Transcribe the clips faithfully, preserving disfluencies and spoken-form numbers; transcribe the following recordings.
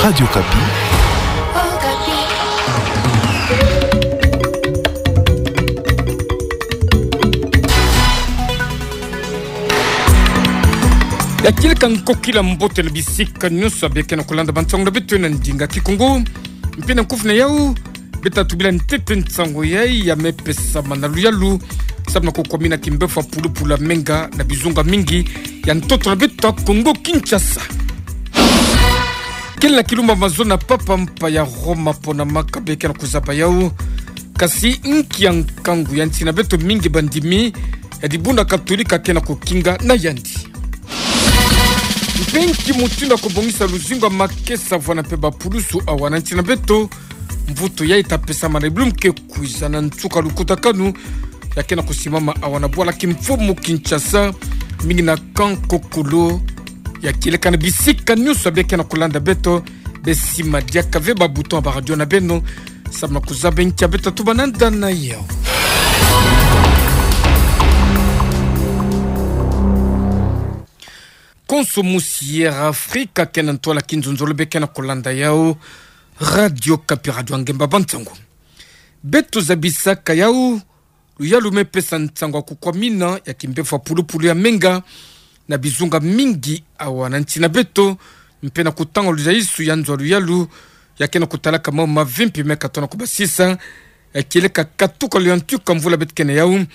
Radio Okapi. Ya kieleka nkokila mbote na bisika nyonso ya bia kena kolanda bansango na beto na ndinga Kikongo. Mpe na nkufi na yau, beta tubila ntete nsango yai ya me pesama na luyalu, samu na kukwamina kimbefo ya pulupulu ya menga na bizunga mingi ya ntoto na beto ya Kongo Kinshasa. Kele na kilumbu ya mazono ya papa mpa ya Roma pona maka bia kena kuzaba yau. Kasi nki ya nkangu ya nsi na beto mingi bandimi ya dibundu ya Katolika kena kukinga na yandi. Mpe nki mutindu ya kubongisa luzingu ya makesa vwanda mpe bapulusu awa na nsi na beto. Mvutu yai ita pesama na bilumbu ke kwiza na nsuka lukutakanu ya kena kusimama awa na bwala kimfumu Kinshasa, mingi na Camp Kokolo. Ya kieleka na bisika nyonso ya bia kena kolanda beto, besi madiaka ve ba bouton ya ba radio na beno, samu na kuzaba nki ya beta tuba na nda na yau. Konso musi Air Africa kena ntwala kinzonzolo bia kena kolanda yau. Radio Okapi, radio ya ngemba bansango. Beto zabisaka yau luyalu me pesa nsango ya kukwamina ya kimbefo ya pulupulu ya menga na bizunga mingi awa na nsi na beto, mpe na kutanga luzaisu ya nzo ya luyalu ya kena kutalaka mambu mavimpi me katona kubasisa. Ya kieleka katuka luyantika mvula beto kena yau,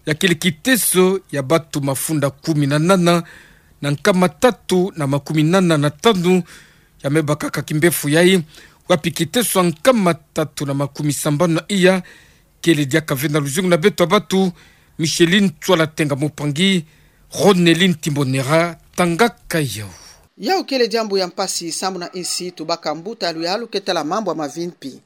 ya kele kiteso ya batu mafunda kumi na nana na nkama tatu na makumi nana na tanu ya me bakaka kimbefo yai, wapi kiteso ya nkama tatu na makumi sambanu na iya kele diaka ve na luzingu na beto ya batu. Micheline Tswala Tenga Mupangi, Ronelin Timbonera tangaka yau. Yau kele diambu ya mpasi samu na insi tubaka mbuta ya luyalu ke tala mambu ya mavimpi.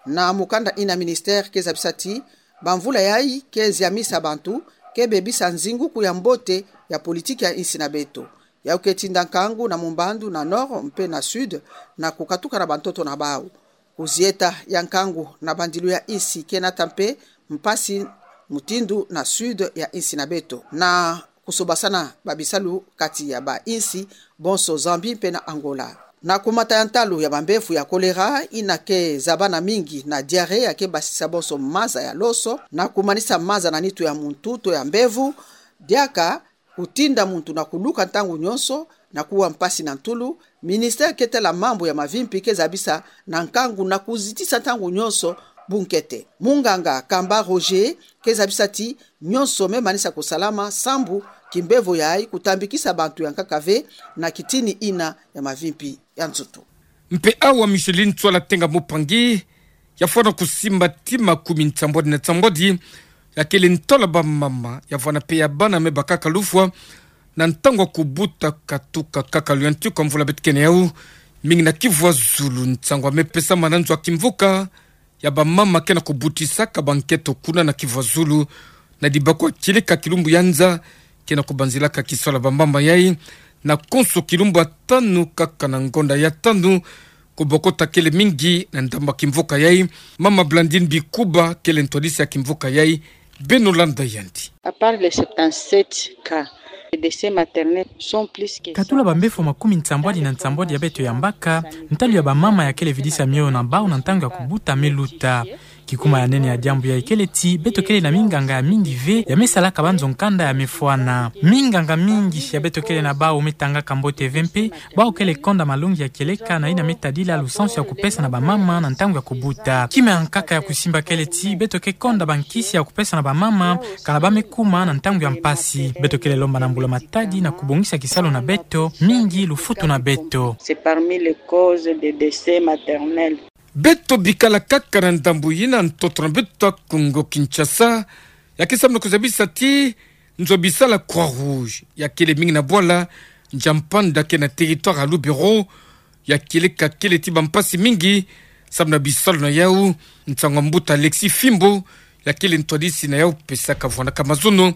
Na mukanda ina ministère ke zabisa ti bamvula yai ke ziamisa bantu, ke bebisa nzinguku ya mbote ya politiki ya insi na beto. Yau ke tinda nkangu na mumbandu, na nord mpe na sud, na kukatuka na bantoto na bau. Kuzieta ya nkangu na bandilu ya insi ke nata mpe mpasi mutindu na sud ya insi na beto, na kusobasana babisalu kati ya bainsi bonso Zambie mpe na Angola. Na kumata ya ntalu ya bambefu ya choléra, ina ke zabana mingi na diarrhée ya ke basisa bonso maza ya loso, na kumanisa maza na nitu ya muntu to ya mbevo, diaka kutinda muntu na kuluka ntangu nyonso, na kuwa mpasi na ntulu, ministère ke tala mambu ya mavimpi ke zabisa na nkangu na kuzitisa ntangu nyonso bunkete. Munganga Kamba Roger ke zabisa ti nyonso me manisa kusalama sambu kimbevo yai kutambikisa bantu ya nkaka ve na kitini ina ya mavimpi ya nsutu. Mpe awa Micheline Tswala Tenga Mupangi ya fwana kusimba ti makumi nsambwadi na nsambwadi ya kele ntwala bamama ya vwanda mpe ya bana me bakaka lufwa na ntangu ya kubuta katuka kaka luyantika mvula beto kena yau, mingi na Kivu ya Zulu. Nsangu ya me pesama na nzo ya kimvuka ya bamama ke na kubutisaka bankento kuna na Kivu ya Zulu, na dibako ya kieleka kilumbu ya nza ke na kubanzilaka kisalu ya bamama yai, na konso kilumbu ya tanu kaka na ngonda ya tanu, kubokota kele mingi na ndambu ya kimvuka yai. Mama Blandine Bikuba kele ntwadisi ya kimvuka yai. Beno landa yandi. À part les septante-sept cas de décès maternel, sont plus que katula bambefu makumi nsambwadi na nsambwadi ya beto yambaka, ntalu ya bamama ya kele vidisa mioyo na bau na ntangu ya kubuta me luta. Kikuma ya nene ya diambu yai kele ti beto kele na minganga ya mingi ve ya me salaka banzo nkanda ya me fwana. Minganga mingi ya beto kele na bau me tangaka mbote ve mpe bau kele konda malongi ya kieleka na ina me tadila lusansu ya kupesa na bamama na ntangu ya kubuta. Kima ya nkaka ya kusimba kele ti beto ke konda bankisi ya kupesa na bamama kana ba me kuma na ntangu ya mpasi. Beto kele lomba na mbula-matadi na kubongisa kisalu na beto, mingi lufutu na beto. C'est parmi les causes de décès maternel. Beto bikala kaka na ndambu yina ntoto na beto ya Kongo Kinshasa, ya ke samu na kuzabisa ti nzo ya bisalu ya Croix-Rouge ya kele mingi na bwala Ndjampanda ke na territoire ya Lubero. Ya kieleka kele ti bampasi mingi samu na bisalu na yau. Nsangu ya mbuta Alexis Fimbo, ya kele ntwadisi na yau, pesaka vwandaka mazono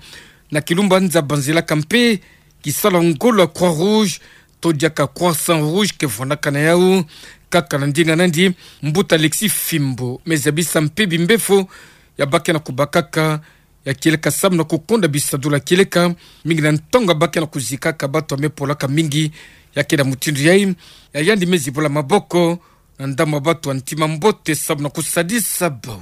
na kilumbu ya nza, banzilaka mpe kisalu ya ngolo ya Croix-Rouge to diaka Croissant Rouge ke vwandaka na yau. Kaka na ndinga nandi, mbuta Alexis Fimbo me zabisa mpe bimbefo ya ba ke na kubakaka ya kieleka samu na kukonda bisadulu ya kieleka, mingi na ntangu ya ba ke na kuzikaka bato ya me polaka mingi Ya ke na mutindu yai, ya yandi me zibula maboko, na ndamwa batu ya ntima mbote samu na kusadisa bau.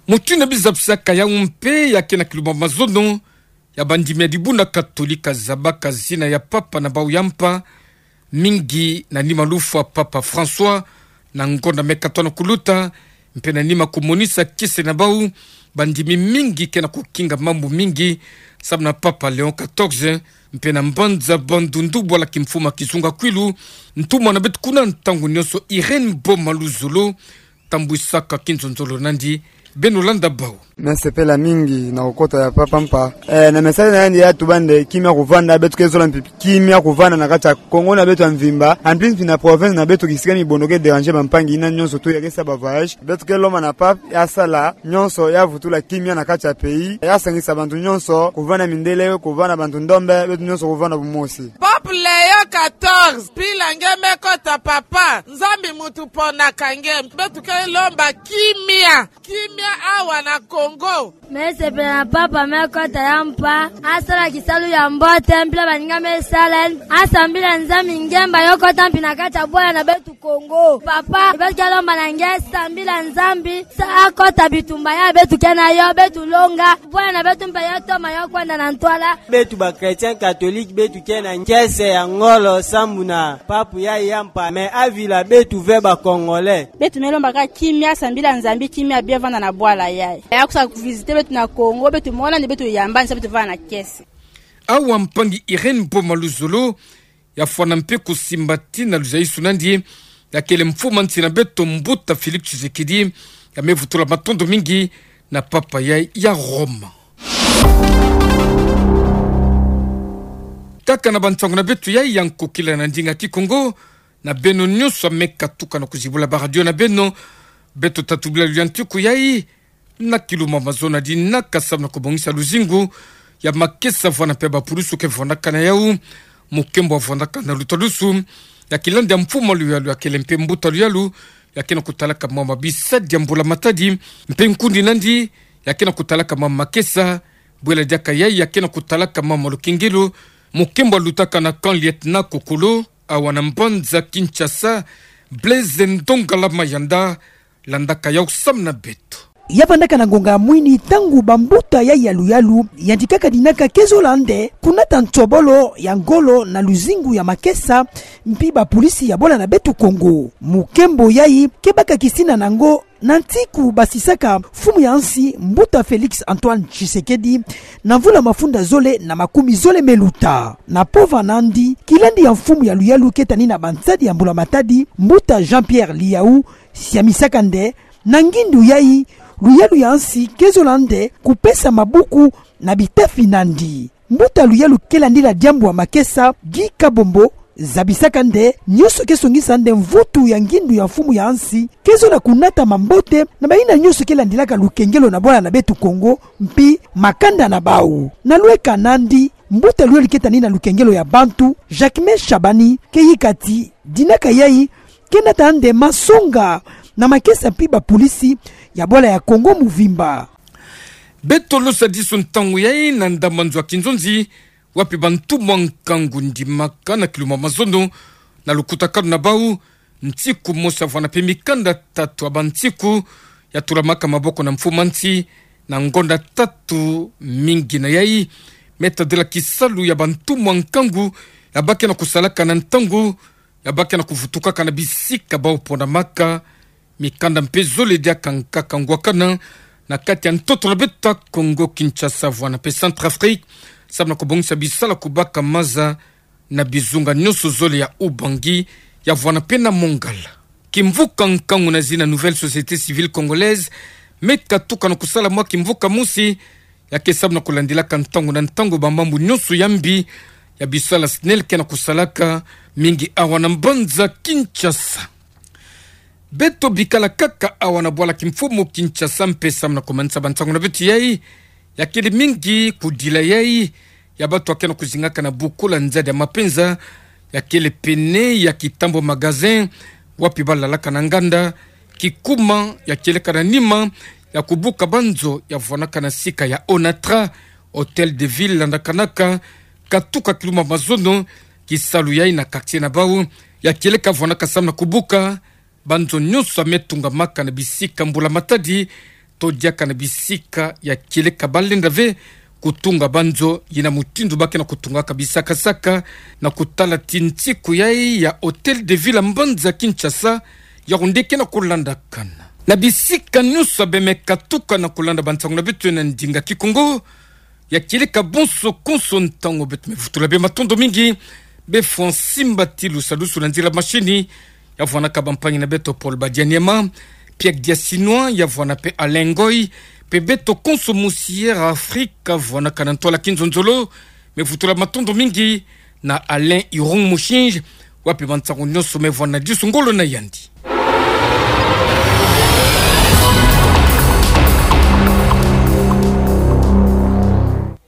Mutindu na bizapisaka yau mpe ya ke na kiluma mazono, ya bandimi ya dibuna Katolika zabaka zina ya Papa na bau ya mpa, mingi na nima lufwa Papa François, na ngonda me katono kuluta, mpe na nima kumonisa kiese na bau, bandimi mingi ke na kukinga mambu mingi, samu na Papa Léon quatorze, mpe na mbanza bandundu bwala kimfuma kizunga kwilu, ntumwa na beto kuna ntangu nyonso Irène Boma Luzolo, tambwisaka kinzonzolo nandi, beno landa bau. Me sepela mingi na kukota ya Papa mpa. Eh, na message na yandi ya tuba nde kimia kuvanda, beto ke zola mpi kimia kuvanda na kati ya Kongo na beto ya mvimba. En plus, mpi na province na beto kisika mibondo ke déranger bampangi yina nyonso tu ya ke sa ba voyage. Beto ke lomba na Papa ya sala nyonso ya vutula kimia na kati ya pays. Ya sangisa bantu nyonso, kuvanda mindele, kuvanda bantu ndombe, beto nyonso kuvanda bumosi. Papa Léon quatorze, mpila nge me kota Papa, Nzambi mutu ponaka nge, beto ke lomba kimia, kimia awa na Kongo. Me sepela na Papa me kota ya mpa, asala kisalu ya mbote, mpila baninga me sala, asambila Nzambi ngemba yo kota mpi na kati ya bwala na beto Kongo. Papa, beto ke lomba na nge sambila Nzambi, sa akota bitumba ya beto ke na yo, beto longa, bwala na beto mpe yo toma yo kwenda na ntwala. Beto ba chrétiens catholiques, beto ke na kiese ya ngolo samu na Papa ya ya mpa, me avila beto ve ba Congolais. Beto me lomba kaka kimia, sambila Nzambi kimia bia vanda na bwala yai. Ya kusa kuvisiter beto na Kongo, beto mona nde beto yamba, nsa beto vanda na kiese. Awa mpangi Irène Boma Luzolo, ya fwana mpe kusimba tina luzaisu nandi, ya kele mfumu a nsi na beto Mbuta Félix Tshisekedi, ya me vutula matondo mingi na Papa yai ya Roma. Kaka na bansangu na beto yai ya nkokila na ndinga Kikongo, na beno nyonso ya me katuka na kuzibula ba radio na beno, beto tatu bila luyantiku yai, na kiluma mazono ya dinaka samu na kubongisa luzingu ya makesa vwana mpe ba pulusu ke vwandaka na yau, mukembo wa vwandaka na lutalusu, ya kilandi ya mfumu a luyalu ya kele mpe mbuta luyalu, ya ke na kutalaka mama bisadi ya mbula matadi, mpe nkundi nandi, ya ke na kutalaka mama makesa, bwela diaka yai, ya ke na kutalaka mama lukengelo, mukembo wa lutaka na camp lieutenant Kokolo, awa na mbanza Kinshasa, Blaise Ndongala Mayanda, landaka yau samu na beto. Ya vandaka na ngonga ya mwini ntangu bambuta ya yaluyalu, yandi kaka dinaka ke zola nde, kunata nsobolo ya ngolo na luzingu ya makesa, mpi ba pulisi ya bwala na beto Kongo. Mukembo yai, ke baka kisina na ngo, na ntiku basisaka mfumu ya nsi, Mbuta Félix Antoine Tshisekedi, na mvula mafunda zole na makumi zole me luta. Na pova nandi, kilandi ya mfumu ya luyalu ke tani na bansadi ya mbula matadi, Mbuta Jean-Pierre Liyau, siamisaka nde, na ngindu yai, luyalu ya nsi ke zola nde kupesa mabuku na bitafi nandi. Mbuta luyalu ke landila diambu ya makesa, Guy Kabombo, zabisaka nde, nyonso ke songisa nde mvutu ya ngindu ya mfumu ya nsi ke zola kunatama mbote na bayina nyonso ke landilaka lukengelo na bwala na beto Kongo, mpi makanda na bau. Na lweka nandi, mbuta luyalu ke tani na lukengelo ya bantu, Jacquemain Shabani, ke yika ti, dinaka yai, ke nata nde masonga na makesa mpi ba pulisi ya bwala ya Kongo muvimba. Beto losa disu ntangu yai na ndambu nzo ya kinzonzi, wapi bantumwa nkangu ndimaka na kiluma mazono, na lukutakanu na bau, ntiku mosi ya vwana mpe mikanda tatu ya bantiku, ya tulamaka maboko na mfumu a nsi, na ngonda tatu mingi na yai, me tadila kisalu ya bantumwa nkangu, ya bake na kusalaka na ntangu, ya bake na kuvutukaka na bisika bau ponamaka, mikanda mpe zole diaka nkaka ngwakana, na kati ya ntoto na beto ya Congo Kinshasa vwana mpe Centrafrique, samu na kubongisa bisala kubaka maza na bizunga nyonso zole ya Ubangi, ya vwana mpe na Mongala. Kimvuka nkangu na zina Nouvelle Société Civile Congolaise, me katuka na kusala mwa kimvuka mosi, ya ke samu na kulandilaka ntangu na ntangu bamambu nyonso ya mbi, ya bisala SNEL ke na kusalaka mingi awa na mbanza Kinshasa. Beto bikala kaka awa na bwala kimfumu Kinshasa mpe samu na kumanisa bansangu na beto yai, ya kele mingi kudila yai, ya bato ya ke na kuzingaka na bukula nzadi ya mapenza, ya kele pene ya kitambo magasin, wapi balalaka na nganda, kikuma ya kieleka na nima ya kubuka banzo ya vwanaka na sika ya Onatra, Hôtel de Ville landakanaka, katuka kiluma mazono, kisalu yai na quartier na bau ya kieleka vwanaka samu na kubuka banzo nyonso ya me tungamaka na bisika mbula matadi, todiaka na bisika ya kieleka balenda ve kutunga banzo, ye na mutindu ba ke na kutungaka bisakasaka, na kutala tintiku yai ya Hôtel de Ville ya mbanza Kinshasa, ya onde ke na kulandakana na bisika nyonso ya beme katuka na kulanda bansangu na beto na ndinga Kikongo. Ya kieleka bonso konso ntangu beto me vutula bê matondo mingi. Bê Francine Mbatilu, sadusu na nzila mashini, ya vwanaka bampangi na beto Paul Badianiema, Pierre Diasinois, ya vwana pe Alain Ngoy, pe beto konso Musière Afrika vwanaka na ntwala kinzonzolo, me vutula matondo mingi na Alain Irung Mushinji, wapi bansangu nyonso me vwana disu ngolo na yandi.